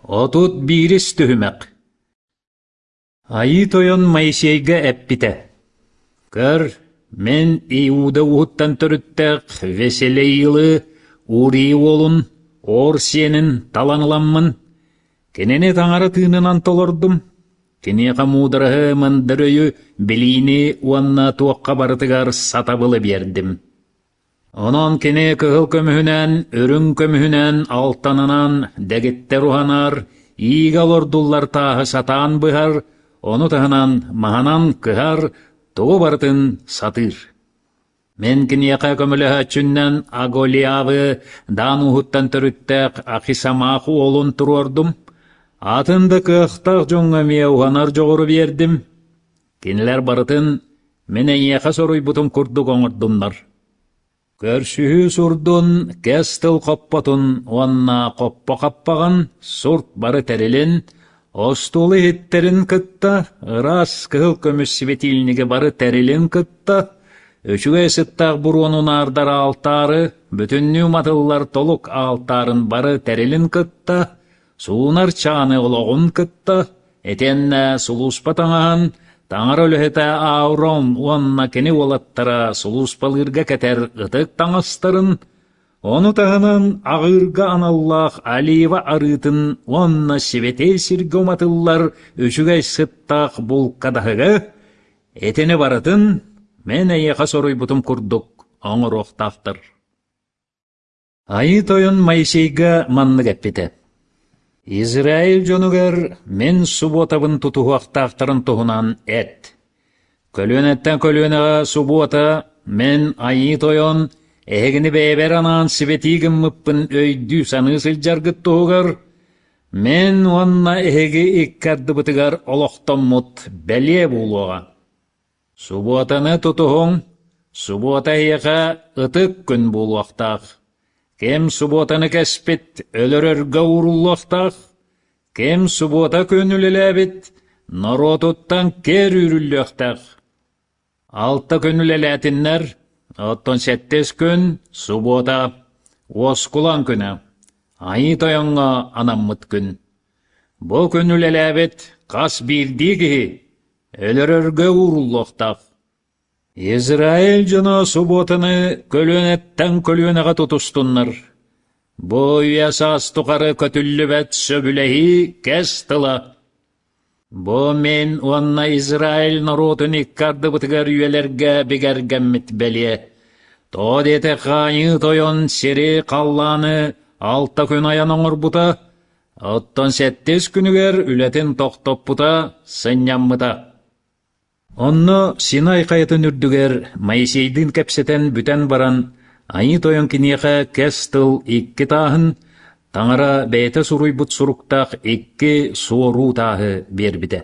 31 түһүмэх Айыы Тойон Моисейга эппитэ: «Көр, мин Иуда ууһуттан төрүттээх Веселеилы, Урий уолун, Ор сиэнин талан ыламмын, кинини Таҥара тыынынан толордум, киниэхэ муудараһы, мындыр өйү, билиини уонна туохха барытыгар сатабылы биэрдим. Онон кини кыһыл көмүһүнэн, үрүҥ көмүһүнэн, алтанынан дэгиттэр уһанар, иигэ олордуллар тааһы сатаан быһар, ону таһынан маһынан кыһар, тугу барытын сатыыр. Мин киниэхэ көмөлөһөөччүннэн Аголиавы Даан ууһуттан төрүттээх Ахисамаах уолун туруордум, атын да кыахтаах дьоҥҥо эмиэ уһанар дьоҕуру биэрдим. Кинилэр барытын мин эйиэхэ соруйбутум курдук оҥордуннар. Көрсүһүү сурдун, кэс тыл хоппотун уонна хоппо хаппаҕын, сурт бары тэрилин, остуол иһиттэрин кытта, ыраас кыһыл көмүс светильниги бары тэрилин кытта, үчүгэй сыттаах буруону унаардар аалтаары, бүтүннүү уматыллар толук аалтаарын бары тэрилин кытта, суунар чааны олоҕун кытта, Итиэннэ сулууспа таҥаһын таҥара үлэһитэ Аурон уонна кини уолаттара сулууспалыырга кэтэр ытык таҥастарын, ону таһынан аҕыырга аналлаах олива арыытын уонна сибэтиэй сиргэ уматыллар үчүгэй сыттаах булкадаһыгы, итини барытын мин эйиэхэ соруйбутум курдук оҥоруохтаахтар. Айыы Тойон Моисейга маннык эппитэ: «Израиль дьонугар мин субуотабын тутуһуохтаахтарын туһунан эт. Көлүөнэттэн көлүөнэҕэ субуота мин Айыы Тойон эһигини бэйэбэр анаан сибэтии гыммыппын өйдүү-саныы сылдьаргыт туһугар мин уонна эһиги икки ардыбытыгар олохтоммут бэлиэ буолуоҕа. Субуотаны тутуһуҥ, субуота эһиэхэ ытык күн буолуохтаах. Ким субуотаны кэспит өлөрөргө ууруллуохтаах, ким субуота күн үлэлээбит норуотуттан киэр үүрүллүөхтээх. Алта күн үлэлээтиннэр, оттон сэттис күн субуота, уоскулаҥ күнэ, Айыы Тойоҥҥо анаммыт күн. Бу күн үлэлээбит хас биирдии киһи өлөрөргө ууруллуохтаах. Израиль дьоно субуотаны көлүөнэттэн көлүөнэҕэ тутустуннар. Бу үйэ саас тухары көтүллүбэт сөбүлэһии кэс тыла. Бу мин уонна Израиль норуотун икки ардыбытыгар үйэлэргэ бигэргэммит бэлиэ. Тоҕо диэтэххэ Айыы Тойон сири, халлааны алта күн айан оҥорбута, Оттон сэттис күнүгэр үлэтин тохтоппута, сынньаммыта. Онно Синай хайатын үрдүгэр Моисейдыын кэпсэтэн бүтэн баран, Айыы Тойон киниэхэ кэс тыл икки тааһын, Таҥара бэйэтэ суруйбут суруктаах икки суоруу тааһы биэрбитэ.